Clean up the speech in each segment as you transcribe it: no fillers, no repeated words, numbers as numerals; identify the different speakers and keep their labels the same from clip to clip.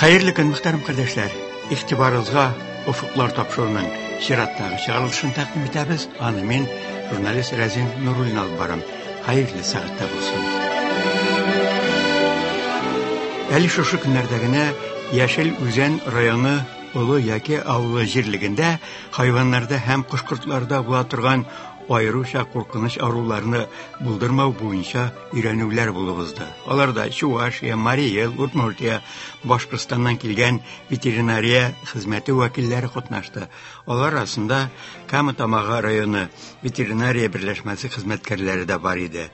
Speaker 1: Хәерле көн, мөхтәрәм кардәшләр. Игътибарыгызга Офыклар тапшыруының чираттагы чыгарылышын тәкъдим итәбез. Аны мин, журналист Рәзин Нуруллин алып барам. Хәерле сәгатьтә булсын. Әле шушы көннәрдә генә Яшел Үзән районы Олы Яке авылы җирлегендә хайваннарда һәм кош-кортларда була торган аеруча куркыныч авыруларны булдырмау буенча өйрәнүләр булып узды. Аларда Чувашия, Марий Эл, Удмуртия, Башкортстаннан килгән ветеринария хезмәте вәкилләре катнашты. Алар арасында Кама Тамагы районы ветеринария берләшмәсе хезмәткәрләре дә бар иде.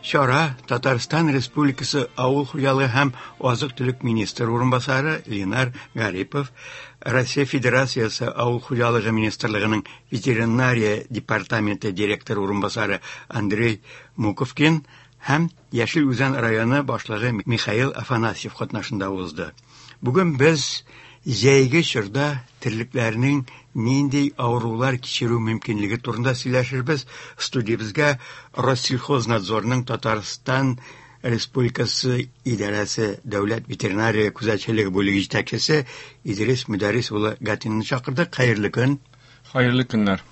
Speaker 1: Чара Татарстан Республикасы Авыл хуҗалыгы һәм азык-төлек министры урынбасары Ленар Гарипов, Россия Федерациясе Авыл хуҗалыгы министрлыгының ветеринария департаменты директоры урынбасары Андрей Муковкин һәм Яшел Үзән районы башлыгы Михаил Афанасьев катнашында узды. Бүген без җәйге чорда терлекләрнең нинди авырулар кичерү мөмкинлеге турында сөйләшербез. Студиябезгә Россельхознадзорның Татарстан Республикасы идарәсе дәүләт ветеринария күзәтчелеге бүлеге җитәкчесе Идрис Мөдәррис улы Гатинны чакырдык. Хәерле көн.
Speaker 2: Хәерле көннәр.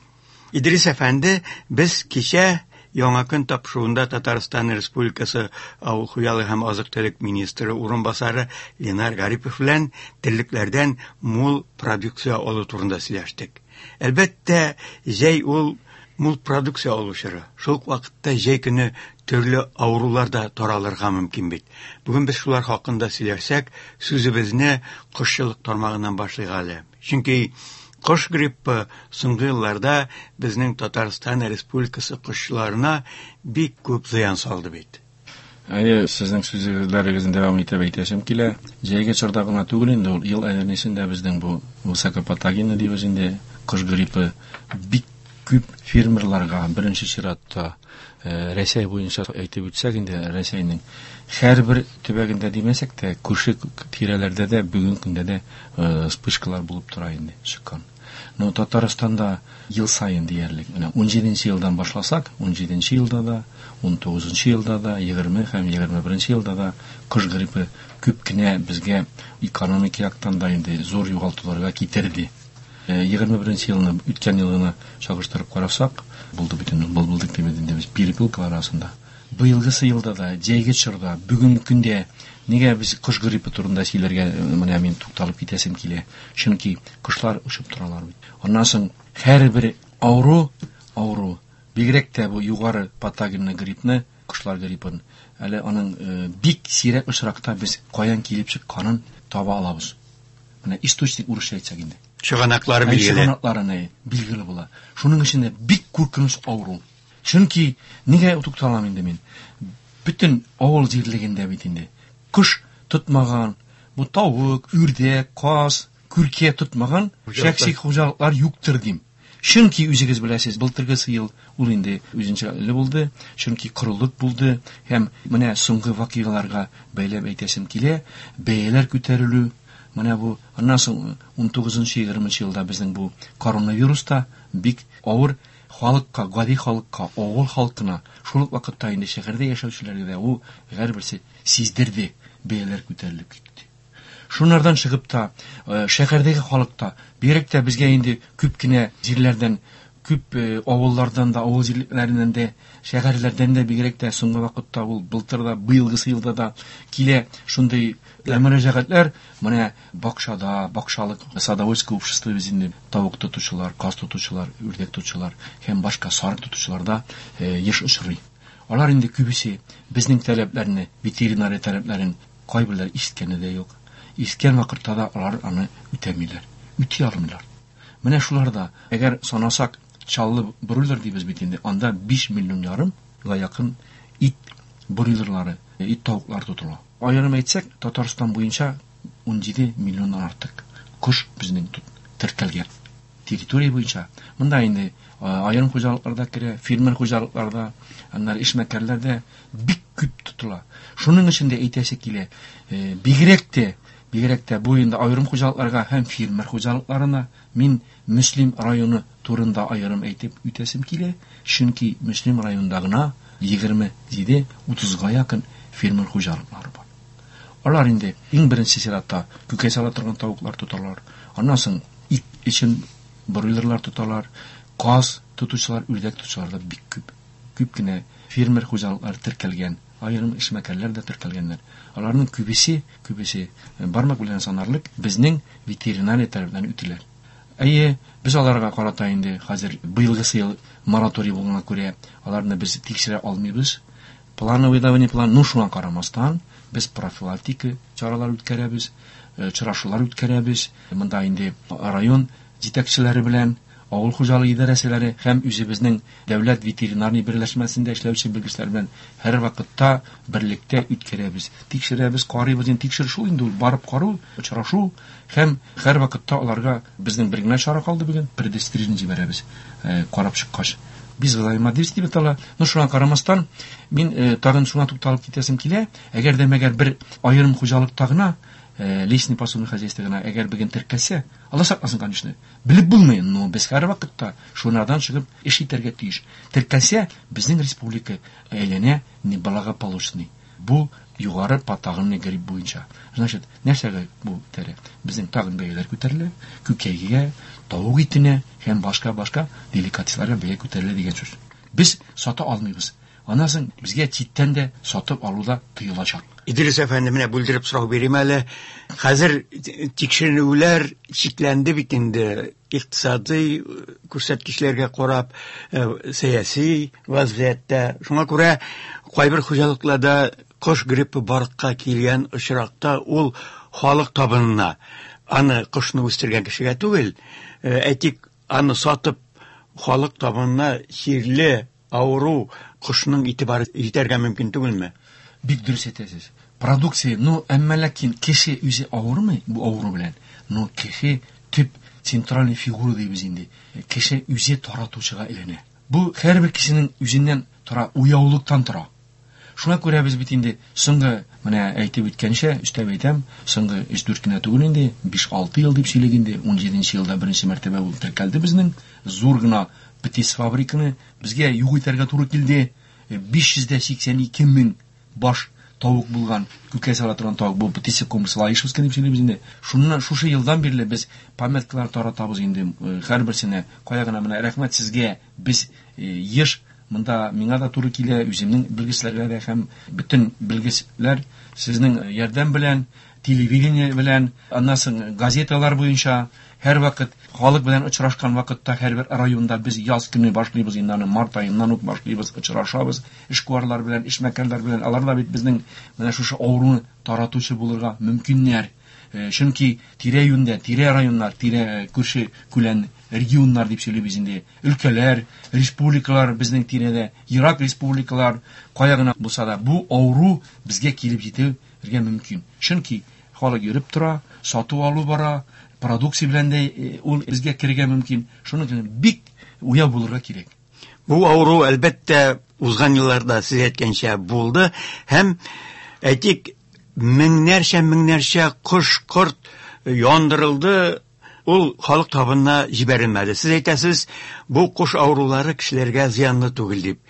Speaker 1: Идрис әфәнде, без кичә Яңа көн тапшыруында Татарстан Республикасы Авыл хуҗалыгы һәм азык-төлек министры урынбасары Ленар Гарипов белән терлекләрдән мул продукция алу турында сөйләштек. Әлбәттә, җәй ул мул продукция алу чоры. Шул ук вакытта җәй көне төрле авырулар да таралырга мөмкин бит. Бүген без шулар хакында сөйләшсәк, сүзебезне кошчылык тармагыннан башлыйк әле. Чөнки кош гриппы соңгы елларда безнең Татарстан Республикасы кошчыларына бик күп зыян салды бит.
Speaker 2: Әйе, сезнең сүзләрегезне дәвам итеп әйтәсем килә. Җәйге чорда гына түгел инде ул, ел әйләнәсендә безнең бу высокопатогенный дибез инде, кош гриппы бик күп фермерларга, беренче чиратта, Рәсәй буенча әйтеп үтсәк инде, Рәсәйнең һәрбер төбәгендә димәсәк тә, күрше тирәләрдә дә бүгенге көндә дә вспышкалар булып тора инде, чыккан. Но Татарстанда ел саен диярлек, менә 17 елдан башласак, 17 елда да, 19 елда да, 20 һәм 21 елда да кош гриппы күп кенә безгә экономик яктан да инде зур югалтуларга китерде. 21 елны, үткән елгыны чагыштырып карасак, булды бит инде, булдык дип инде без перепелкалар арасында. Быелгысы елда да, җәйге чорда, бүгенге көндә нигә без кош гриппы турында сөйләргә менә мин тукталып китәсем килә. Чөнки кошлар очып торалар бит. Аннан соң һәрбер авыру, авыру, бигрәк тә бу югары патогенный гриппны, кошлар гриппын, әле аның бик сирәк очракта без каян килеп чыкканын таба алабыз. Менә источник урысча әйтсәк инде.
Speaker 1: Чыганаклары билгеле.
Speaker 2: Чыганаклары не билгеле була. Шуның өчен дә бик куркыныч авыру. Чөнки нигә тукталам инде мин? Бөтен авыл җирлегендә бит инде кош тотмаган, бу тавык, үрдәк, каз, күркә тотмаган шәхси хуҗалыклар юктыр дим. Чөнки үзегез беләсез, былтыргысы ел ул инде үзенчәлекле булды, чөнки корылык булды һәм менә соңгы вакыйгаларга бәйләп әйтәсем килә, бәяләр күтәрелү, менә бу аннан соң 19-20 елда безнең бу коронавирус та бик авыр халыкка, гади халыкка, авыл халкына, шул ук вакытта инде шәһәрдә яшәүчеләргә дә ул һәрберсе сиздерде, бәяләр күтәрелеп китте. Шунардан чыгып та, шәһәрдәге халык та, бигрәк тә безгә инде күп кенә җирләрдән, күп авыллардан да, авыл җирлекләреннән дә, шәһәрләрдән дә бигрәк тә соңгы вакытта ул былтыр да, быелгысы елда да килә шундый мөрәҗәгатьләр, менә бакчада, бакчалык, садоводческое общество без инде тавык тотучылар, каз тотучылар, үрдәк тотучылар һәм башка сарык тотучылар да еш очрый. Алар инде күбесе безнең таләпләрне, ветеринария таләпләрен кайберләре ишеткәне дә юк. Ишеткән вакытта да алар аны үтәмиләр, үти алмыйлар. Менә шуларда, әгәр санасак, Чаллы бройлер дибез бит инде, анда 5 миллион ярымга якын ит бройлерлары, ит тавыклары тотыла. Аерым әйтсәк, Татарстан буенча 17 миллионнан артык кош безнең теркәлгән территория буенча. Монда инде аерым хуҗалыкларда керә, фермер хуҗалыкларда, аннары эшмәкәрләрдә бик күп тотыла. Шуның өчен дә әйтәсе килә, бигрәк тә бу инде аерым хуҗалыкларга һәм фермер хуҗалыкларына мин Мөслим районы турында аерым әйтеп үтәсем килә, чөнки Мөслим районында гына 27-30-га якын фермер хуҗалыклары бар. Алар инде иң беренче чиратта күкәй сала торган тавыклар тоталар. Аннан соң ит өчен бройлерлар тоталар. Каз тотучылар, үрдәк тотучылар да бик күп. Күп кенә фермер хуҗалыклары теркәлгән, аерым эшмәкәрләр дә теркәлгәннәр. Аларның күбесе, күбесе бармак белән санарлык безнең ветеринария тарафыннан үтелә. Әйе, без аларга карата инде хәзер быелгысы ел мораторий булганга күрә, аларны без тикшерә алмыйбыз. Плановый да не план, ну шуңа карамастан, без профилактика чаралар үткәрәбез, очрашулар үткәрәбез. Монда инде район җитәкчеләре белән, авыл хуҗалыгы идарәселәре һәм үзебезнең дәүләт ветеринарный берләшмәсендә эшләүче белгечләр белән һәр вакытта берлектә үткәрәбез. Тикшерәбез, карыйбыз. Инде тикшерү шул инде ул, барып карау, очрашу һәм һәр вакытта аларга безнең бер генә чара калды бүген, предостережение җибәрәбез, карап чыккач. Без взаимодействие дип атала. Но шуңа карамастан, мин тагын шуңа тукталып китәсем килә. Әгәр дә мәгәр бер аерым хуҗалыкта гына, личный подсобный хозяйство гына, әгәр бүген теркәлсә, Алла сакласын, конечно, белеп булмый, но без һәр вакытта шунардан чыгып эш итәргә тиеш. Теркәлсә, безнең республика әйләнә неблагополучный. Бу югары патагынный грипп буенча. Значит, нәрсәгә бу тәрә? Безнең тагын бәяләр күтәрелә, күкәйгә, тавык итенә һәм башка-башка деликатесларга бәя күтәрелә дигән сүз. Без сата алмыйбыз. Аннан соң безгә читтән дә сатып алу да тыелачак.
Speaker 1: Идрис әфәнде, менә бүлдереп сорау бирим әле. Хәзер тикшеренүләр чикләнде бит инде. Икътисадый күрсәткечләргә карап, сәяси вазгыятьтә. Шуңа күрә кайбер хуҗалыкларда кош гриппы барлыкка килгән очракта ул халык табынына, аны кошны үстергән кешегә түгел, әйтик, аны сатып халык табынына чирле, авыру кошның ите бар җитәргә мөмкин түгелме?
Speaker 2: Бик дөрес әйтәсез. Продукция, ну, әмма ләкин кеше үзе авырмый бу авыру белән, но кеше төп центральный фигура дибез инде. Кеше үзе таратучыга әйләнә. Бу һәрбер кешенең үзеннән тора, уяулыктан тора. Шуңа күрә без бит инде соңгы, менә әйтеп үткәнчә, өстәп әйтәм, соңгы өч-дүрт кенә түгел инде, биш-алты ел дип сөйлик инде, унҗиденче елда беренче мәртәбә ул теркәлде безнең. Зур гына птиц фабриканы безгә юк итәргә туры килде. 582 мең баш тавык булган, күкәй сала торган тавык, бу птица комплексы Лаишевский дип сөйлибез инде. Шуннан шушы елдан бирле без памяткалар таратабыз инде, һәрберсенә. Кая гына менә рәхмәт сезгә, без еш монда миңа да туры килә, үземнең белгечләргә дә һәм бөтен белгечләр сезнең ярдәм белән, телевидение белән, аннан соң газеталар буенча һәрвакыт халык белән очрашкан вакытта һәрбер районда без яз көне башлыйбыз инде аны, март аеннан ук башлыйбыз, очрашабыз эшкуарлар белән, эшмәкәрләр белән. Алар да бит безнең менә шушы авыруны таратучы булырга мөмкиннәр. Чөнки тирә-юньдә, тирә районнар, тирә күрше күлән регионнар дип сөйлибез инде, өлкәләр, республикалар безнең тирәдә, ерак республикалар, кая гына булса да, бу авыру безгә килеп җитәргә мөмкин. Чөнки халык йөреп тора, сату алу бара, продукция белән дә ул безгә керергә мөмкин. Шуның өчен бик уяу булырга кирәк.
Speaker 1: Бу авыру, әлбәттә, узган елларда сез әйткәнчә булды һәм, әйтик, меңнәрчә, меңнәрчә кош-корт яндырылды, ул халык табынына җибәрелмәде. Сез әйтәсез, бу кош авырулары кешеләргә зыянлы түгел дип.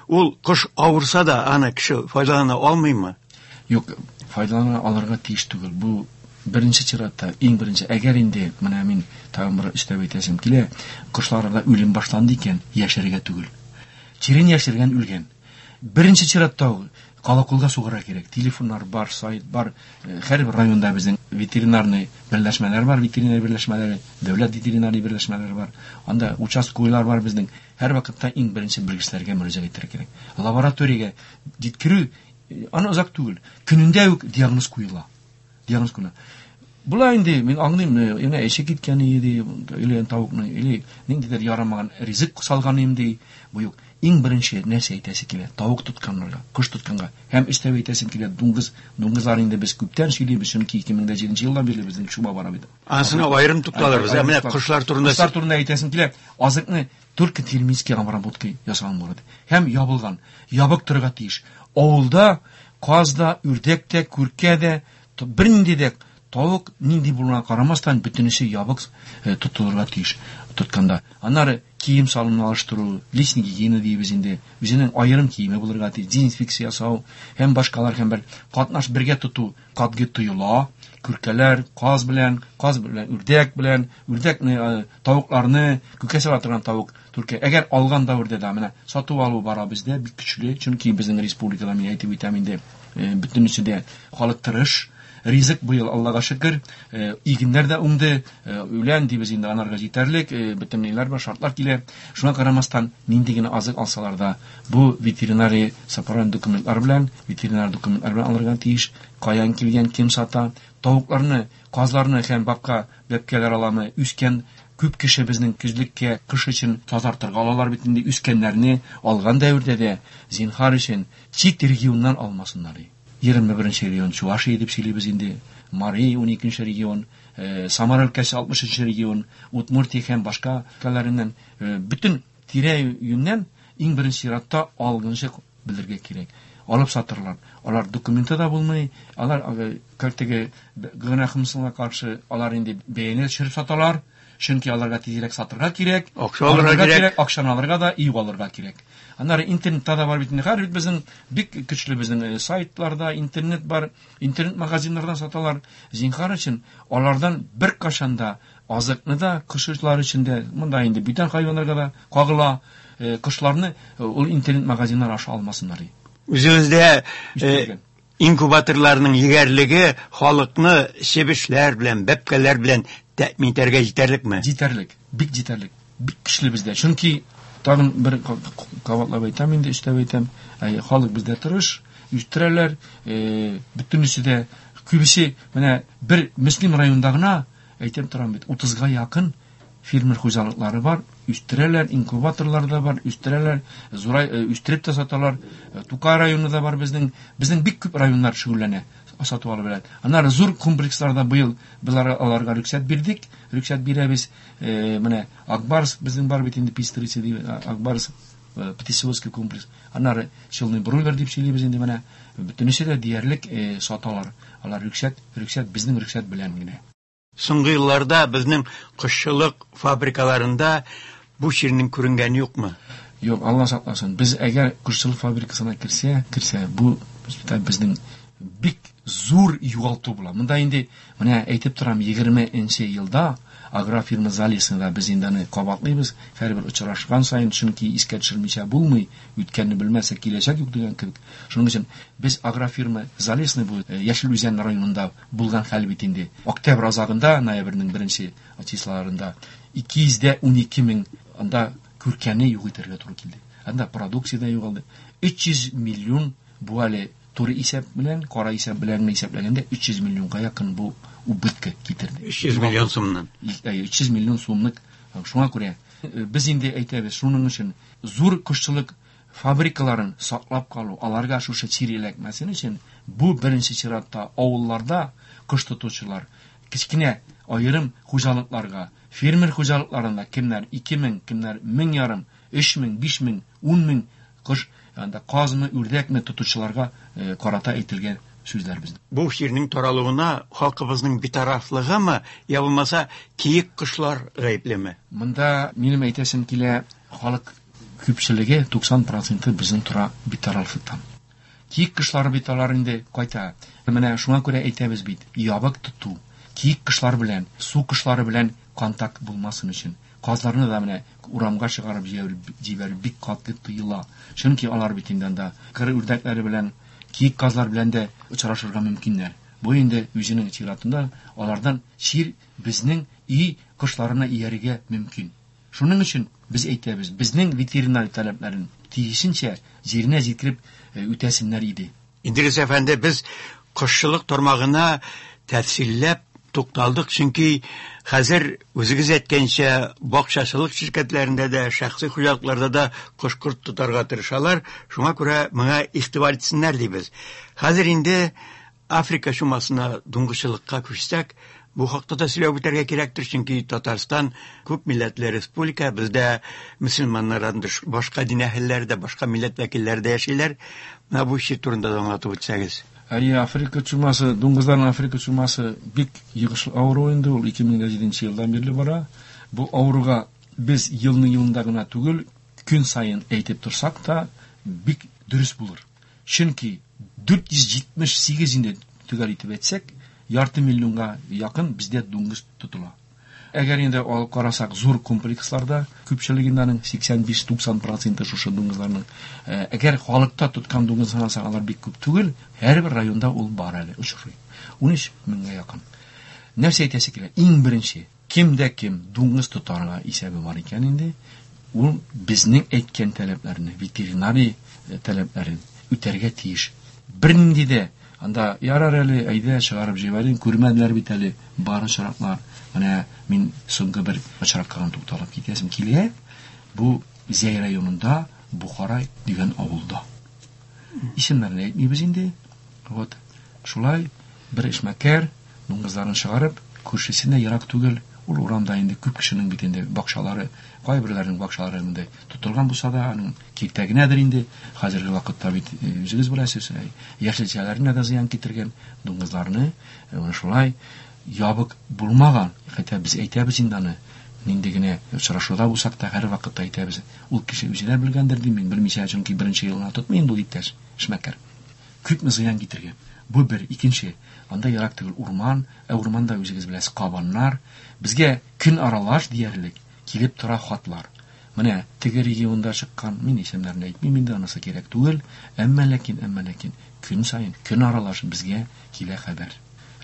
Speaker 1: Ул кош авырса да, аны кеше файдалана алмыймы?
Speaker 2: Юк, файдалана алырга тиеш түгел. Бу беренче чиратта, иң беренче, әгәр инде, менә мин тагын бер өстәп әйтәсем килә, кошларда үлем башланды икән, яшәргә түгел. Чирен яшергән үлгән. Беренче чиратта колоколга сугарга кирәк. Телефоннар бар, сайт бар. Һәрбер районда безнең ветеринарный берләшмәләр бар, ветеринар берләшмәләре, дәүләт ветеринарный берләшмәләре бар. Анда участковыйлар бар безнең. Һәр вакытта иң беренче белгечләргә мөрәҗәгать итәргә кирәк. Лабораториягә җиткерү, аны озак түгел. Көнендә үк диагноз куела. Диагноз куела. Була инде, мин аңлыйм, менә эше киткән иде, или тавыкны, или ниндидер ярамаган ризык салган инде. Бу юк. Иң беренче нәрсә әйтәсе килә, тавык тотканнарга, кош тотканга. Һәм өстәп әйтәсем килә, дуңгыз, дуңгызлар инде без күптән сөйлибез, чөнки ике мең дә җиденче елдан бирле безнең чума бара бит.
Speaker 1: Анысына аерым тукталырбыз. Ә менә кошлар турында
Speaker 2: Кошлар турында әйтәсем килә, азыкны только термический обработка ясаган булады. Һәм ябылган, ябык торырга тиеш. Авылда каз да, үрдәк тә, күркә дә, бернинди дә Тавык нинди булуына карамастан, бөтенесе ябык тотылырга тиеш тотканда. Аннары кием салымны алыштыру, личный гигиена дибез инде. Үзенең аерым киеме булырга тиеш, дезинфекция ясау һәм башкалар һәм бер катнаш бергә тоту катгый тыела. Күркәләр, каз белән, каз белән, үрдәк белән, үрдәкне, тавыкларны, күкә сала торган тавык түркә. Әгәр алган дәвердә дә менә сатып алу бара бездә бик көчле, чөнки безнең республикада мин әйтеп үтәм инде, бөтенесе дә халык тырыш. Ризык быел Аллага шөкер, игеннәр дә уңды, үлән дибез инде анарга җитәрлек, бөтен ниләр бар, шартлар килә. Шуңа карамастан, нинди генә азык алсалар да, бу ветеринария сапаран документлар белән, ветеринар документлар белән алырга тиеш. Каян килгән, кем сата, тавыкларны, казларны һәм бабка бәбкәләр аламы, үскән күп кеше безнең көзлеккә кыш өчен тазартырга алалар бит инде, үскәннәрне алган дәвердә дә зинһар өчен чит регионнан алмасыннар. 21 регион Чувашия дип сөйлибез инде, Мари 12 регион, Самара өлкәсе 63 регион, Удмуртия һәм башка өлкәләреннән, бөтен тирә-юньнән иң беренче чиратта алгынчы белергә кирәк. Алып сатырлар. Алар документы да булмый, алар, как теге гөнаһымсыңа каршы, алар инде бәяне төшереп саталар, чөнки аларга тизрәк сатырга кирәк,
Speaker 1: Акча алырга
Speaker 2: алырга
Speaker 1: кирәк.
Speaker 2: кирәк, акчаны алырга да, өй алырга кирәк. Аннары интернетта да бар бит инде. Хәзер бит безнең бик көчле безнең сайтларда интернет бар, интернет магазиннардан саталар. Зинһар өчен алардан бер кашан да азыкны да кошчылар өчен дә, монда инде бүтән хайваннарга да кагыла, кошларны ул интернет магазиннар аша алмасыннар.
Speaker 1: Үзегездә,
Speaker 2: Үстергән.
Speaker 1: инкубаторларның егәрлеге халыкны чебешләр белән, бәбкәләр белән тәэмин итәргә җитәрлекме?
Speaker 2: Җитәрлек, бик җитәрлек, бик көчле бездә. Чөнки тагын бер кабатлап әйтәм инде, өстәп әйтәм, халык бездә тырыш, үстерәләр, бөтенесе дә күбесе менә бер Мөслим районында гына әйтәм торам бит, 30-га якын фермер хуҗалыклары бар, үстерәләр, инкубаторлар да бар, үстерәләр, зурай, үстереп тә саталар. Тукай районы да бар безнең. Безнең бик күп районнар шөгыльләнә сатып алу белән. Аннары зур комплексларда быел без аларга рөхсәт бирдек, рөхсәт бирәбез. Менә Акбарс безнең бар бит инде, Пестрица дип, Акбарс птицеводский комплекс. Аннары Челны бройлер дип сөйлибез инде менә. Бөтенесе дә диярлек саталар. Алар рөхсәт, безнең рөхсәт белән генә.
Speaker 1: Соңгы елларда безнең кошчылык фабрикаларында бу чирнең күренгәне юкмы?
Speaker 2: Юк, Алла сакласын. Без әгәр кошчылык фабрикасына керсә, бу безнең бик зур югалту була. Монда инде менә әйтеп торам, егерменче елда агрофирма Залесныйда без инде аны кабатлыйбыз. Һәрбер очрашкан саен, чөнки искә төшермичә булмый, үткәнне белмәсә киләчәк юк дигән кебек. Шуның өчен без агрофирма Залесный бу Яшел Үзән районында булган хәл бит инде. Октябрь азагында, ноябрьнең беренче числоларында ике йөз дә унике мең анда күркәне юк итәргә туры килде. Анда продукция дә югалды. Өч йөз миллион бу әле туры исәп белән, кара исәп белән генә исәпләгәндә өч йөз миллионга якын бу убытка китерде.
Speaker 1: Өч йөз миллион сумнан.
Speaker 2: Өч йөз миллион сумлык. Шуңа күрә без инде әйтәбез, шуның өчен зур кошчылык фабрикаларын саклап калу, аларга шушы чир эләкмәсен өчен бу беренче чиратта авылларда кош тотучылар, кечкенә аерым хуҗалыкларга, фермер хуҗалыкларында кемнәр ике мең, кемнәр мең ярым, өч мең, биш мең, ун мең кош, анда казмы, үрдәкме тотучыларга карата әйтелгән сүзләр безнең.
Speaker 1: Бу чирнең таралуына халкыбызның битарафлыгымы, я булмаса киек кошлар гаеплеме?
Speaker 2: Монда минем әйтәсем килә, халык күпчелеге туксан проценты безнең тора битарафлыктан. Киек кошлары бит алар инде кайта. Менә шуңа күрә әйтәбез бит, ябык тоту, киек кошлар белән, су кошлары белән контакт булмасын өчен. Казларны да менә урамга чыгарып җибәрү бик каты тыела. Чөнки алар бит инде анда кыр үрдәкләре белән, киек казлар белән дә очрашырга мөмкиннәр. Бу инде үзенең чиратында алардан чир безнең өй кошларына иярергә мөмкин. Шуның өчен без әйтәбез, безнең ветеринар таләпләрен тиешенчә җиренә җиткереп үтәсеннәр иде.
Speaker 1: Идрис әфәнде, без кошчылык тармагына тәфсилләп тукталдык, чөнки хәзер үзегез әйткәнчә бакчачылык ширкәтләрендә дә, шәхси хуҗалыкларда да кош-корт тотарга тырышалар. Шуңа күрә моңа игътибар итсеннәр дибез. Хәзер инде Африка чумасына, дуңгызчылыкка күчсәк, бу хакта да сөйләп үтәргә кирәктер, чөнки Татарстан күп милләтле республика, бездә мөселманнардан тыш башка дин әһелләре дә, башка милләт вәкилләре дә яшиләр. Менә бу чир турында да аңлатып үтсәгез.
Speaker 2: Әйе, Африка чумасы, дуңгызларның Африка чумасы бик йогышлы авыру инде, ул 2007 елдан бирле бара. Бу авыруга без елның елында гына түгел, көн саен әйтеп торсак та, бик дөрес булыр. Чөнки 478 инде төгәл итеп әйтсәк, ярты миллионга якын бездә дуңгыз тотыла. Әгәр инде алып карасак, зур комплексларда күпчелегендә аның 85-90% шушы дуңгызларның. Әгәр халыкта тоткан дуңгыз санасак, алар бик күп түгел, һәрбер районда ул бар әле, очрый. 13 меңгә якын. Нәрсә әйтәсе килә? Иң беренче, кем дә кем дуңгыз тотарга исәбе бар икән инде, ул безнең әйткән таләпләрне, ветеринария таләпләрен үтәргә тиеш. Бернинди дә анда ярар әле, әйдә чыгарып җибәрим, күрмәделәр бит әле, бар очраклар. Менә мин соңгы бер очракка гына тукталып китәсем килә. Бу Зәй районында Бухарай дигән авылда. Исемнәрен әйтмибез инде. Вот шулай бер эшмәкәр дуңгызларын чыгарып, күршесенә ерак түгел, ул урамда инде күп кешенең бит инде бакчалары, кайберләренең бакчалары монда тотылган булса да, аның киртә генәдер инде. Хәзерге вакытта бит үзегез беләсез, яшелчәләренә дә зыян китергән дуңгызларны, менә шулай ябык булмаган, хәтта без әйтәбез инде аны, нинди генә очрашуда булсак та һәр вакытта әйтәбез. Ул кеше үзе дә белгәндер дим мин, белмичә, чөнки беренче елына тотмый инде ул иптәш, эшмәкәр. Күпме зыян китергән. Бу бер, икенче, анда ерак түгел урман, ә урманда үзегез беләсез кабаннар. Безгә көн аралаш диярлек килеп тора хатлар. Менә теге регионда чыккан, мин исемнәрен әйтмим инде, анысы кирәк түгел, әмма ләкин көн саен, көн аралаш безгә килә хәбәр.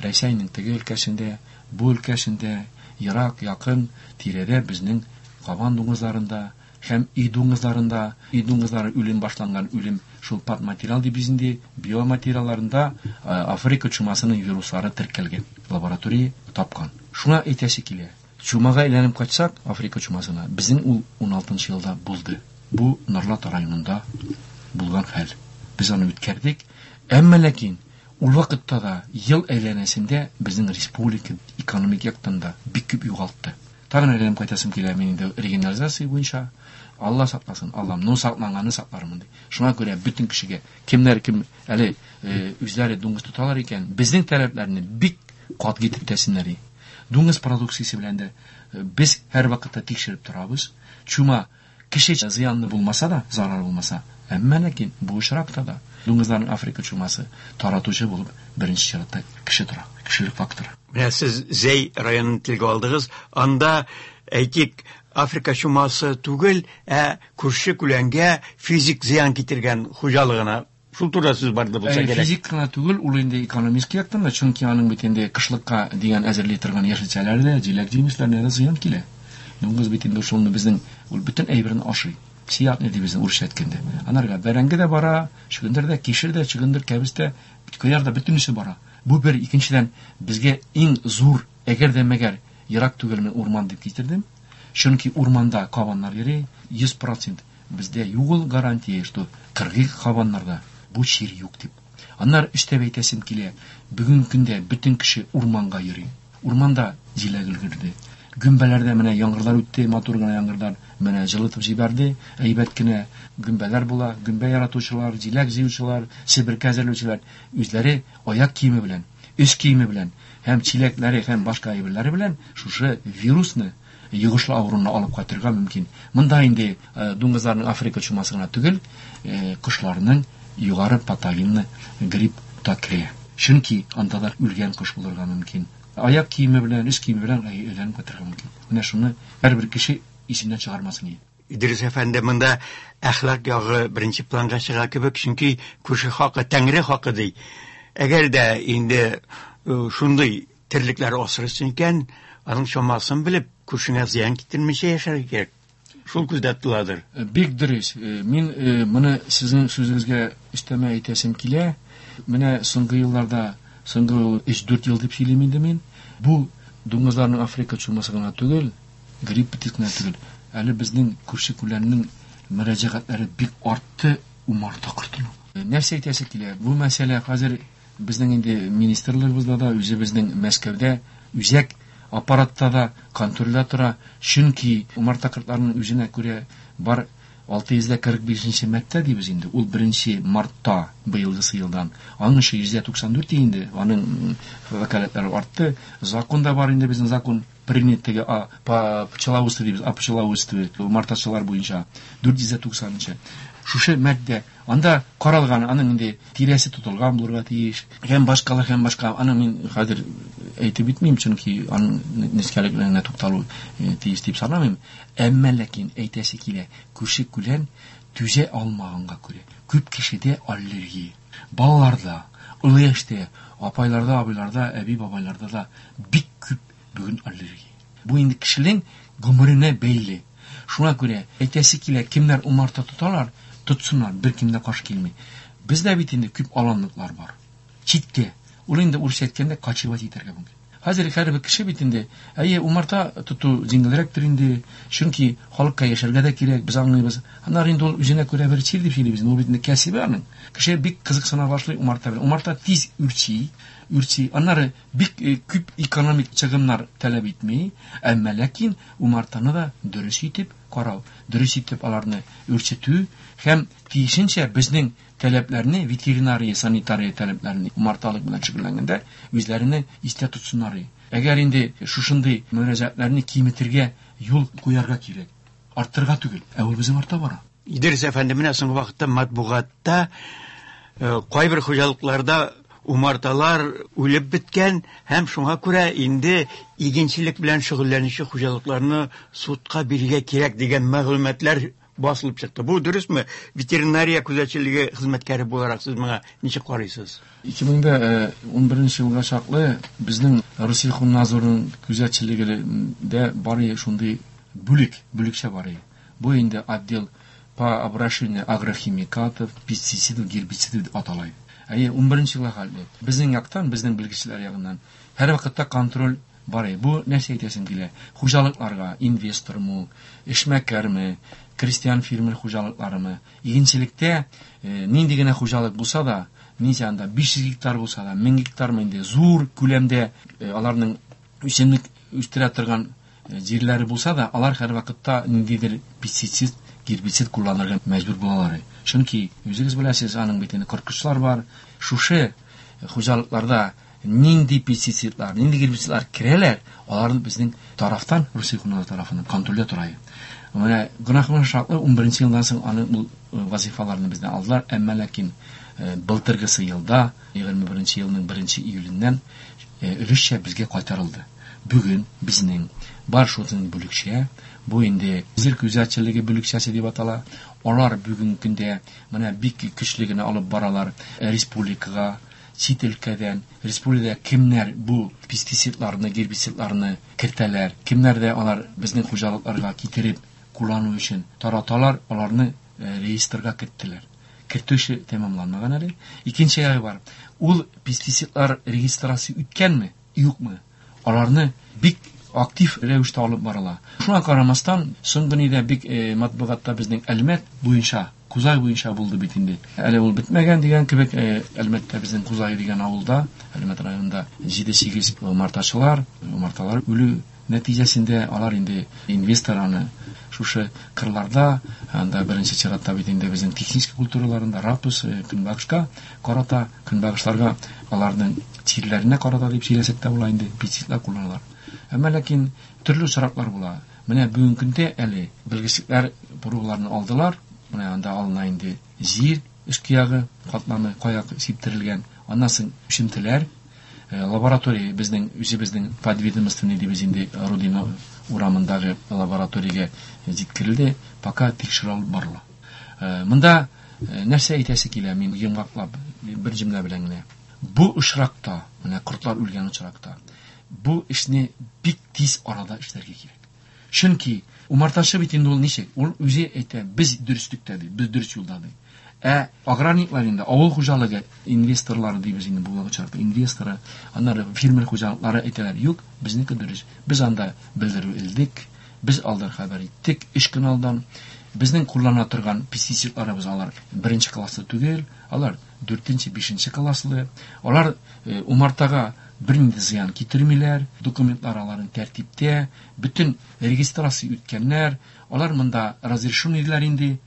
Speaker 2: Рәсәйнең теге өлкәсендә, бу өлкәсендә, ерак, якын тирәдә безнең кабан дуңгызларында һәм өй дуңгызларында, өй дуңгызлары үлем башланган үлем шул пат материал дип без инде биоматериалларында Африка чумасының вируслары теркәлгән, лаборатория тапкан. Шуңа әйтәсе килә. Чумага әйләнеп кайтсак, Африка чумасына, безнең ул 16 елда булды. Бу Норлат районында булган хәл. Без аны үткәрдек. Әмма ләкин ул вакытта да ел әйләнәсендә безнең республика экономик яктан да бик күп югалтты. Тагын әйләнеп кайтасым килә мин инде регионализация буенча. Алла сакласын, Аллам, ну сакланганны саклармын ди. Шуңа күрә бөтен кешегә, кемнәр кем әле үзләре дуңгыз тоталар икән, безнең таләпләрне бик катгый итеп үтәсеннәр ди. Дуңгыз продукциясе белән дә без һәр вакытта тикшереп торабыз. Чума кеше зыянлы булмаса да, зарар булмаса, әмма ләкин бу очракта да дуңгызларның Африка чумасы таратучы булып беренче чиратта кеше тора, кешелек факторы.
Speaker 1: Менә сез Зәй районын телгә алдыгыз. Анда, әйтик, Африка чумасы түгел, ә күрше күләнгә физик зыян китергән хуҗалыгына. Шул турыда сүз барды булса кирәк.
Speaker 2: Физик кына түгел, ул инде экономик яктан да, чөнки аның бит инде кышлыкка дигән әзерли торган яшелчәләр дә, җиләк-җимешләренә дә зыян килә. Дуңгыз бит инде шуны безнең ул бөтен әйберен ашый. Сиятны ди безнең урысча әйткәндә. Анарга бәрәңге дә бара, чөгендер дә, кишер дә, чөгендер, кәбестә, кыяр да бөтенесе бара. Бу бер, икенчедән, безгә иң зур, әгәр дә мәгәр ерак түгел мин урман дип китердем. Чөнки урманда кабаннар йөри, 100% бездә юк ул гарантия, что кыргый кабаннарда бу чир юк дип. Аннары өстәп әйтәсем килә, бүгенге көндә бөтен кеше урманга йөри. Урманда җиләк өлгерде. Гөмбәләрдә менә яңгырлар үтте, матур гына яңгырлар менә җылытып җибәрде. Әйбәт кенә гөмбәләр була, гөмбә яратучылар, җиләк җыючылар, себерке әзерләүчеләр үзләре аяк киеме белән, өс киеме белән һәм чиләкләре һәм башка әйберләре белән шушы вирусны йогышлы авыруны алып кайтырга мөмкин. Монда инде дуңгызларның Африка чумасы гына түгел, кошларның югары патогенлы грипп та керә. Чөнки анда да үлгән кош булырга мөмкин. Аяк киеме белән, өс киеме белән әйләнеп кайтырга мөмкин. Менә шуны һәрбер кеше исеннән чыгармасын иде.
Speaker 1: Идрис әфәнде, монда әхлак ягы беренче планга чыга кебек, чөнки күрше хакы, тәңре хакы ди. Әгәр дә инде шундый терлекләр асрыйсың икән, аның чамасын белеп, күршеңә зыян китермичә яшәргә кирәк. Шул күздә тотыладыр.
Speaker 2: Бик дөрес. Мин моны сезнең сүзегезгә өстәмә әйтәсем килә. Менә соңгы елларда, соңгы өч-дүрт ел дип сөйлим инде мин. Бу дуңгызларның Африка чумасы гына түгел, грипп бит кенә түгел. Әле безнең күрше күләннең мөрәҗәгатьләре бик артты умарта кортына. Нәрсә әйтәсе килә? Бу мәсьәлә хәзер безнең инде министрлыгыбызда да, үзебезнең Мәскәүдә үзәк аппаратта да контрольдә тора. Чөнки умарта кортларының үзенә күрә бар 645 маддә дибез инде. Ул 1 мартта быелгысы елдан. Аның 194 инде, аның вәкаләтләре артты. Закон да бар инде, безнең закон принятыгы по пчеловодству дибез, о пчеловодстве, умартачылар буенча 490. Шушы маддә анда каралган, аның инде тирәсе тотылган булырга тиеш. Һәм башкалар, һәм башка. Аны мин хәзер әйтеп битмим, чөнки аның нечкәлекләренә тукталу тиеш дип санамыйм. Әмма ләкин әйтәсе килә, күрше күлән түзә алмаганга күрә күп кешедә аллергия. Балаларда, олы яшьтә, апайларда, абыйларда, әби-бабайларда да бик күп бүген аллергия. Бу инде кешенең гомеренә бәйле. Шуңа күрә әйтәсе килә, кемнәр умарта тоталар, тотсыннар, беркем дә каршы килми. Бездә бит инде күп аланлыклар бар. Читкә. Ул инде урысча әйткәндә кочевать итәргә мөмкин. Хәзер һәрбер кеше бит инде, әйе, умарта тоту җиңелрәктер инде, чөнки халыкка яшәргә дә кирәк, без аңлыйбыз. Аннары инде ул үзенә күрә бер чир дип сөйлибез, ул бит инде кәсебе аның. Кеше бик кызыксына башлый умарта белән. Умарта тиз үрчи, үрчи. Аннары бик күп экономик чыгымнар таләп итми, әмма ләкин умартаны да дөрес итеп карау, дөрес итеп аларны үрчетү һәм тиешенчә безнең таләпләрне, ветеринария, санитария таләпләрен умарталык белән шөгыльләнгәндә үзләренә истә тотсыннар. Әгәр инде шушындый мөрәҗәгатьләрне киметергә юл куярга кирәк, арттырырга түгел, ә ул безнең арта бара.
Speaker 1: Идрис әфәнде, менә соңгы вакытта матбугатта кайбер хуҗалыкларда умарталар үлеп беткән һәм шуңа күрә инде игенчелек белән шөгыльләнүче хуҗалыкларны судка бирергә кирәк дигән мәгълүматлар басылып чыкты. Бу дөресме? Ветеринария күзәтчелеге хезмәткәре буларак сез моңа ничек карыйсыз?
Speaker 2: 2011 елга чаклы безнең Россельхознадзорның күзәтчелегендә бар шундый бүлек, бүлекчә бар. Бу инде отдел по обращению агрохимикатов, пестицидов, гербицидов дип атала. Әйе, 11 елга хәтле. Безнең яктан, безнең белгечләр ягыннан һәр вакытта контроль бар. Бу нәрсә әйтәсем килә? Хуҗалыкларга, инвестормы, эшмәкәрме, крестьян фермер хуҗалыкларымы, игенчелектә нинди генә хуҗалык булса да, ничә анда 500 гектар булса да, 1000 гектармы инде зур күләмдә аларның үсемлек үстерә торган җирләре булса да, алар һәр вакытта ниндидер пестицид, гербицид кулланырга мәҗбүр булалар. Чөнки үзегез беләсез, аның бит инде корткычлар бар. Шушы хуҗалыкларда нинди пестицидлар, нинди гербицидлар керәләр, аларны безнең тарафтан, Россельхознадзор тарафыннан контрольдә тора. Менә гөнаһ шартлы 11 елдан соң аны ул вазифаларны бездән алдылар, әмма ләкин былтыргысы елда, 21 елның 1 июленнән өлешчә безгә кайтарылды. Бүген безнең бар шуның бүлекчә, бу инде җир күзәтчелеге бүлекчәсе дип атала. Алар бүгенге көндә менә бик көчле генә алып баралар республикага, чит өлкәдән, республикада кемнәр бу пестицидларны, гербицидларны кертәләр, кемнәр дә алар безнең хуҗалыкларга китереп куллану өчен тараталар, аларны реестрга керттеләр. Кертү эше тәмамланмаган әле. Икенче ягы бар. Ул пестицидлар регистрация үткәнме, юкмы? Аларны бик актив рәвештә алып барыла. Шуңа карамастан, соңгы нидә бик матбугатта безнең Әлмәт буенча, Кузай буенча булды бит инде. Әле ул бетмәгән дигән кебек, Әлмәттә безнең Кузай дигән авылда, Әлмәт районында 7-8 умартачылар, умарталар үлү нәтиҗәсендә алар инде инвестор аны шушы кырларда, анда беренче чиратта бит инде безнең технический культураларында рапс, көнбагышка карата, көнбагышларга аларның тирләренә карата дип сөйләсәк тә була инде, пестицидлар кулланалар. Әмма ләкин төрле очраклар була. Менә бүгенге көндә әле белгечлекләр пробаларны алдылар. Менә анда алына инде җир өске ягы катламы кая сиптерелгән. Аннан соң үсентеләр, лаборатория безнең үзебезнең подведомственный дибез инде, Родина урамындагы лабораториягә җиткерелде, пока тикшерү алып барыла. Монда нәрсә әйтәсе килә, мин йомгаклап бер җөмлә белән генә. Бу очракта, менә кортлар үлгән очракта, бу эшне бик тиз арада эшләргә кирәк. Чөнки умартачы бит инде ул ничек? Ул үзе әйтә, без дөреслектә ди, без дөрес юлда ди. Ә аграрниклар инде, авыл хуҗалыгы инвесторлары дибез инде бу очракта, инвесторы, аннары фермер хуҗалыклары әйтәләр, юк, безнеке дөрес. Без анда белдерү элдек, без алдан хәбәр иттек, 3 көн алдан. Безнең куллана торган пестицидларыбыз алар беренче класслы түгел, алар 4-нче, 5-нче класслы. Алар умартага бернинди зыян китермиләр, документлар аларның тәртиптә, бөтен регистрация үткәннәр, алар монда разрешенныйлар инде.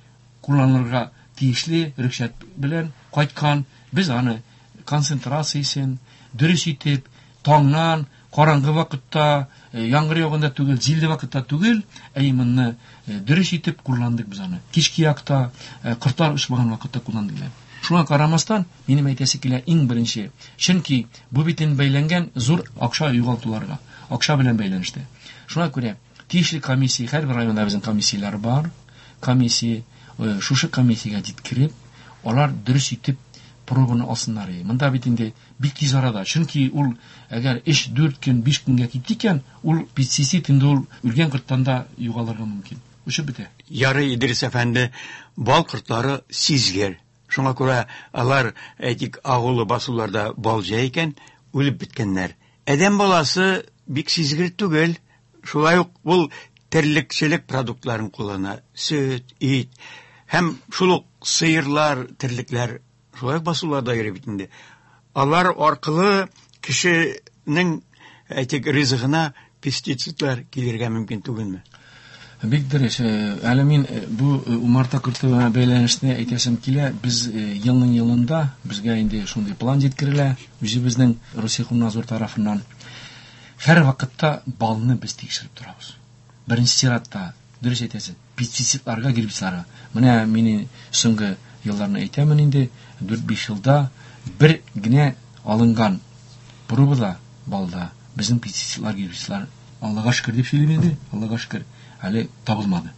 Speaker 2: кулланырга тиешле рөхсәт белән кайткан. Без аны концентрациясен дөрес итеп, таңнан, караңгы вакытта, яңгыр яуганда түгел, җилле вакытта түгел, ә именно дөрес итеп кулландык без аны. Кичке якта, кортлар очмаган вакытта кулландык. Шуңа карамастан, минем әйтәсе килә иң беренче, чөнки бу бит инде бәйләнгән зур акча югалтуларга, акча белән бәйләнештә. Шуңа күрә тиешле комиссия, һәрбер районда безнең комиссияләр бар, комиссия, шушы комиссиягә җиткереп, алар дөрес итеп пробаны алсыннар. Монда бит инде бик тиз арада, чөнки ул әгәр 3-4 көн, 5 көнгә китте икән, ул пестицид инде ул үлгән корттан да югалырга мөмкин. Очып бетә.
Speaker 1: Ярый, Идрис әфәнде, бал кортлары сизгер. Шуңа күрә алар, әйтик, агулы басуларда бал җәй икән, үлеп беткәннәр. Адәм баласы бик сизгер түгел. Шулай ук ул терлекчелек продуктларын куллана. Сөт, ит һәм шул ук сыерлар, терлекләр шулай ук басуларда йөри бит инде. Алар аркылы кешенең, әйтик, ризыгына пестицидлар килергә мөмкин түгелме?
Speaker 2: Бик дөрес. Әле мин бу умарта корты белән бәйләнешне әйтәсем килә. Без елның елында безгә инде шундый план җиткерелә үзебезнең Россельхознадзор тарафыннан. Һәр вакытта балны без тикшереп торабыз. Беренче чиратта, дөрес әйтәсез, пестицидларга, гербицидларга. Менә мин соңгы елларны әйтәмен инде, 4-5 елда бер генә алынган пробада балда безнең пестицидлар, гербицидлар, Аллага шөкер дип сөйлим инде, Аллага шөкер, әле табылмады.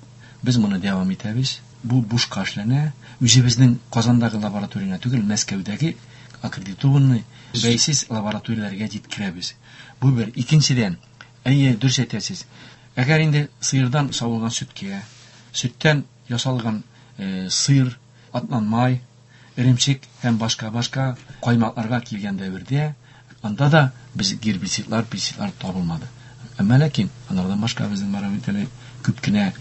Speaker 2: Без моны дәвам итәбез. Бу бушка эшләнә. Үзебезнең Казандагы лабораторияне түгел, Мәскәүдәге аккредитованный бәйсез лабораторияләргә җиткерәбез. Бу бер. Икенчедән, әйе, дөрес әйтәсез. Әгәр инде сыердан савылган сөткә, сөттән ясалган сыр, атланмай, эремчек һәм башка-башка каймакларга килгән дәвердә, анда да без гербицидлар, пестицидлар табылмады. Әмма ләкин анардан башка безнең бар бит әле күп кенә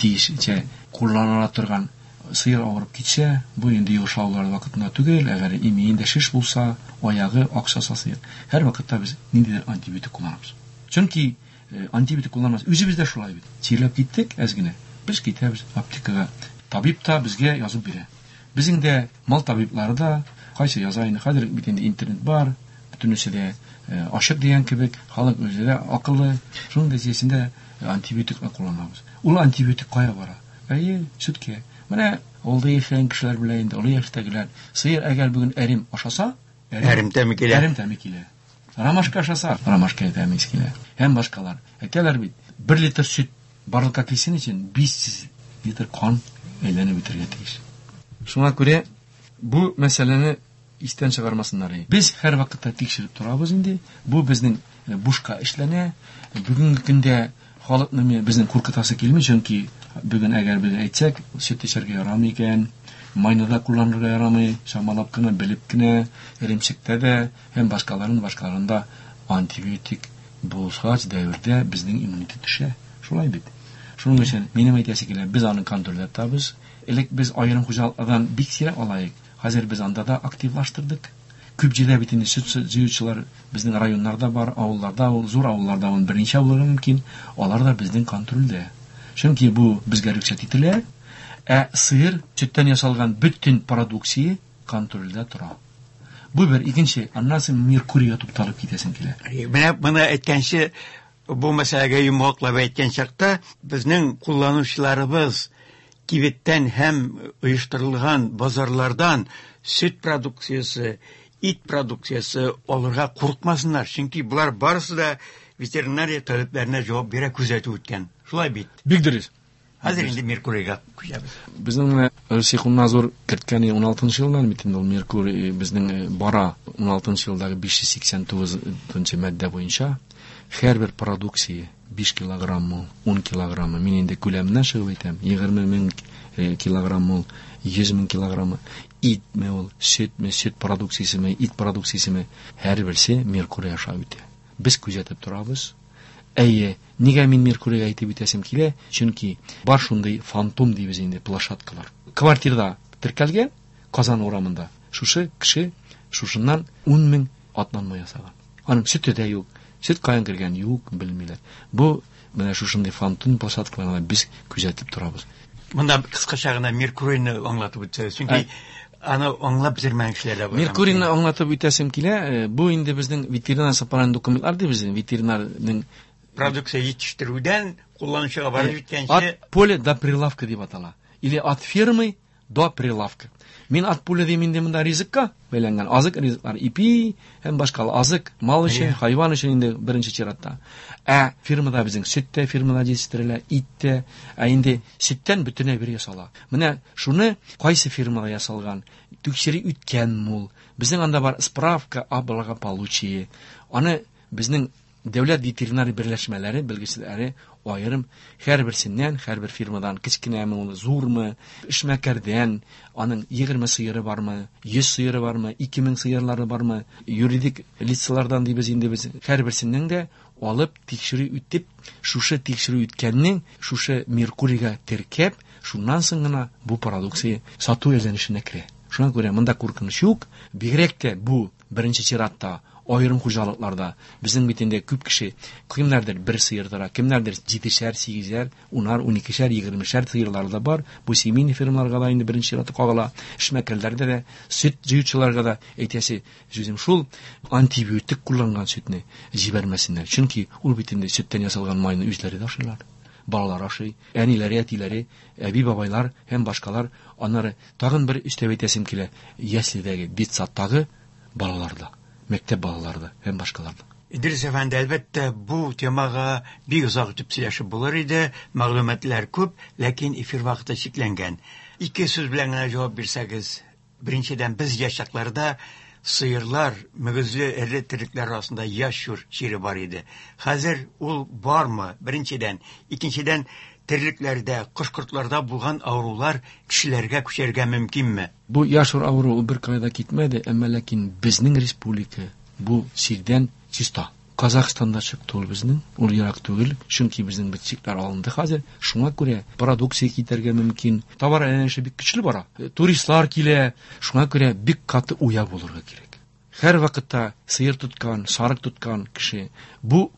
Speaker 2: тиешенчә кулланыла торган сыер авырып китсә, бу инде йогышлы авырулар вакытында түгел, әгәр имиендә шеш булса, аягы аксаса сыер, һәр вакытта без ниндидер антибиотик кулланабыз. Чөнки антибиотик кулланмас, үзебез дә шулай бит. Чирләп киттек әз генә, без китәбез аптекага. Табиб та безгә язып бирә. Безнең дә мал табиблары да кайсы яза инде, хәзер бит инде интернет бар, бөтенесе дә ачык дигән кебек, халык үзе дә акыллы. Шуның нәтиҗәсендә антибиотиклар кулланабыз. Ул антибиотик кая бара? Әйе, сөткә. Менә авылда яшәгән кешеләр белә инде, олы яшьтәгеләр. Сыер әгәр бүген әрем ашаса,
Speaker 1: әрем тәме килә.
Speaker 2: Әрем тәме килә. Ромашка ашаса, ромашка тәме килә. Һәм башкалар. Әйтәләр бит, 1 литр сөт барлыкка килсен өчен 500 литр кан әйләнеп үтәргә тиеш. Шуңа күрә бу мәсьәләне истән чыгармасыннар. Без һәр вакытта тикшереп торабыз инде. Бу безнең бушка эшләнә. Бүгенге көндә халыкны безнең куркытасы килми, чөнки бүген әгәр без әйтсәк, сөт эчәргә ярамый икән, майны да кулланырга ярамый, чамалап кына, белеп кенә, эремчектә дә һәм башкаларын, башкаларында антибиотик булгач дәвердә безнең иммунитет төшә. Шулай бит. Шуның өчен минем әйтәсе килә, без аны контрольдә тотабыз. Элек без аерым хуҗалыклардан бик сирәк алайык. Хәзер без анда да активлаштырдык. Күп җирдә бит инде сөт җыючылар безнең районнарда бар, авылларда, ул зур авылларда ул берничә булырга мөмкин. Алар да безнең контрольдә. Чөнки бу безгә рөхсәт ителә. Ә сыер сөттән ясалган бөтен продукция контрольдә тора. Бу бер, икенче, аннан соң Меркурийга тукталып китәсең килә.
Speaker 1: Менә моны әйткәнче, бу мәсьәләгә йомгаклап әйткән чакта, безнең кулланучыларыбыз кибеттән һәм оештырылган базарлардан сөт продукциясе, ит продукциясе алырга курыкмасыннар, чөнки болар барысы да ветеринария таләпләренә җавап бирә, күзәтү үткән. Шулай бит?
Speaker 2: Бик дөрес.
Speaker 1: Хәзер инде Меркурийга күчәбез.
Speaker 2: Безнең менә Россельхознадзор керткән 16 елдан бит инде ул Меркурий безнең бара 16 елдагы 589 маддә буенча һәрбер продукция 5 килограмм, 10 килограмм, мин инде күләменнән чыгып әйтәм, егерме мең килограмм ул, йөз мең килограмм, итме ул, сөтме, сөт продукциясеме, ит продукциясеме, һәрберсе Меркурий аша үтә. Без күзәтеп торабыз. Әйе, нигә мин Меркурийга әйтеп үтәсем килә? Чөнки бар шундый фантом дибез инде, площадкалар. Квартирада теркәлгән Казан урамында шушы кеше шушыннан ун мең атланма ясаган. Аның сөте дә юк. Сөт каян кергән юк, белмиләр. Бу менә шушындый фантом площадкаларны без күзәтеп торабыз.
Speaker 1: Монда кыскача гына Меркурийны аңлатып үтсәгез, чөнки аны аңлап бетермәгән кешеләр дә бар.
Speaker 2: Меркурийны аңлатып үтәсем килә. Бу инде безнең ветеринар сапаран документлар дибез, ветеринарның
Speaker 1: продукция җитештерүдән кулланучыга барып җиткәнче.
Speaker 2: От поля до прилавка дип атала. Или от фермы до прилавка. Мин от поля дим инде монда ризыкка бәйләнгән азык ризыклар, ипи һәм башка азык, мал өчен, хайван өчен инде беренче чиратта. Ә фермада безнең сөт тә фермада җитештерелә, ит тә, ә инде сөттән бөтенләй бер ясала. Менә шуны кайсы фермада ясалган, тикшерү үткәнме ул? Безнең анда бар справка о благополучии. Аны безнең дәүләт ветеринар берләшмәләре, белгечләре аерым һәрберсеннән, һәрбер фирмадан, кечкенәме ул, зурмы, эшмәкәрдән, аның 20 сыеры бармы, 100 сыеры бармы, 2000 сыерлары бармы, юридик лицалардан дибез инде без, һәрберсеннән дә алып тикшерү үтеп, шушы тикшерү үткәннең шушы Меркурийга теркәп, шуннан соң гына бу продукция сату әйләнешенә керә. Шуңа күрә монда куркыныч юк, бигрәк тә бу беренче чиратта аерым хуҗалыкларда. Безнең бит инде күп кеше, кемнәрдер бер сыер тора, кемнәрдер 7-шәр, 8-шәр, 10-ар, 12-шәр, 20-шәр сыерлары да бар. Бу семейный фермаларга да инде беренче чиратта кагыла. Эшмәкәрләргә дә, сөт җыючыларга да әйтәсе сүзем шул, антибиотик кулланган сөтне җибәрмәсеннәр. Чөнки ул бит инде сөттән ясалган майны үзләре дә ашыйлар. Балалар ашый, әниләре, әтиләре, әби-бабайлар һәм башкалар. Аннары тагын бер өстәп әйтәсем килә, яследәге, детсадтагы балаларда, мәктәп балаларда һәм башкаларда.
Speaker 1: Идрис әфәнде, әлбәттә, бу темага бик озак итеп сөйләшеп булыр иде, мәгълүматлар күп, ләкин эфир вакыты чикләнгән. Ике сүз белән генә җавап бирсәгез, беренчедән, без яшь чакларда сыерлар, мөгезле эре терлекләр арасында ящур чире бар иде. Хәзер ул бармы? Беренчедән. Икенчедән, терлекләрдә, кош-кортларда булган авырулар кешеләргә күчәргә мөмкинме?
Speaker 2: Бу ящур авыруы бер кайда китмәде, әмма ләкин безнең республика бу чирдән чиста. Казахстанда чыкты ул безнең, ул ерак түгел, чөнки безнең бит чикләр алынды хәзер. Шуңа күрә продукция китәргә мөмкин. Товар әйләнеше бик көчле бара. Туристлар килә, шуңа күрә бик каты уя булырга кирәк. Һәр вакытта сыер тоткан, сарык тоткан кеше бу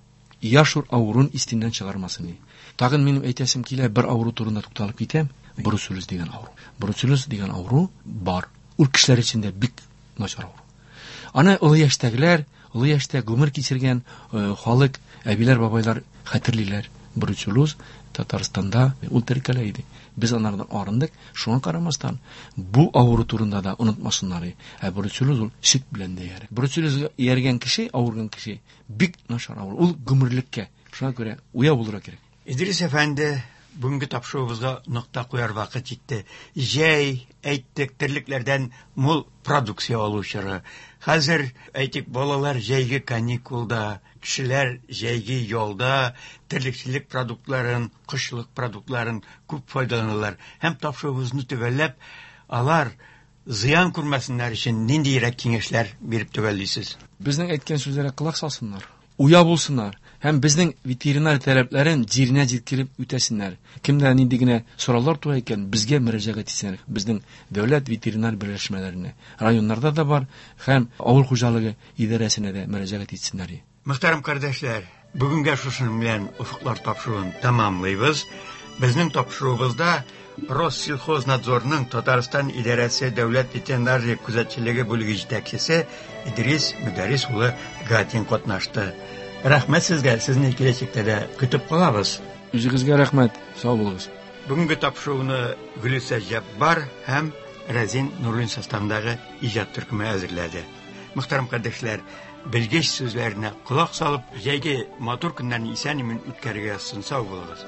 Speaker 2: ящур авыруын истеннән чыгармасын. Тагын минем әйтәсем килә, бер авыру турында тукталып китәм. Бруцеллез дигән авыру. Бруцеллез дигән авыру бар. Ул кешеләр өчен дә бик начар авыру. Аны олы яшьтәгеләр, олы яшьтә гомер кичергән халык, әбиләр, бабайлар хәтерлиләр. Бруцеллез Татарстанда ул теркәлә иде. Без анардан арындык. Шуңа карамастан, бу авыру турында да онытмасыннар. Ә бруцеллез ул сөт белән дә иярә. Бруцеллезгә ияргән кеше, авырган кеше бик начар авыру. Ул гомерлеккә. Шуңа күрә уяу булырга кирәк.
Speaker 1: Идрис әфәнде, бүгенге тапшыруыбызга нокта куяр вакыт җитте. Җәй, әйттек, терлекләрдән мул продукция алу чоры. Хәзер, әйтик, балалар җәйге каникулда, кешеләр җәйге ялда терлекчелек продуктларын, кошчылык продуктларын күп файдаланалар. Һәм тапшыруыбызны төгәлләп, алар зыян күрмәсеннәр өчен ниндиерәк киңәшләр биреп төгәллисез?
Speaker 2: Безнең әйткән сүзләргә колак салсыннар, уя булсыннар. Һәм безнең ветеринар таләпләрен җиренә җиткереп үтәсеннәр. Кемдә нинди генә сораулар туа икән, безгә мөрәҗәгать итсеннәр. Безнең дәүләт ветеринар берләшмәләренә, районнарда да бар, һәм авыл хуҗалыгы идарәсенә дә мөрәҗәгать итсеннәр.
Speaker 1: Мөхтәрәм кардәшләр, бүгенгә шушының белән офыклар тапшыруын тәмамлыйбыз. Безнең тапшыруыбызда Россельхознадзорның Татарстан идарәсе дәүләт ветеринария күзәтчелеге бүлеге җитәкчесе Идрис Мөдәррис улы Гатин катнашты. Рәхмәт сезгә, сезне киләчәктә дә көтеп калабыз.
Speaker 2: Үзегезгә рәхмәт, сау булыгыз.
Speaker 1: Бүгенге тапшыруны Гөлүсә Җәббар һәм Рәзин Нурлин составындагы иҗат төркеме әзерләде. Мөхтәрәм кардәшләр, белгеч сүзләренә колак салып, җәйге матур көннәрне исән-имин үткәрергә язсын, сау булыгыз.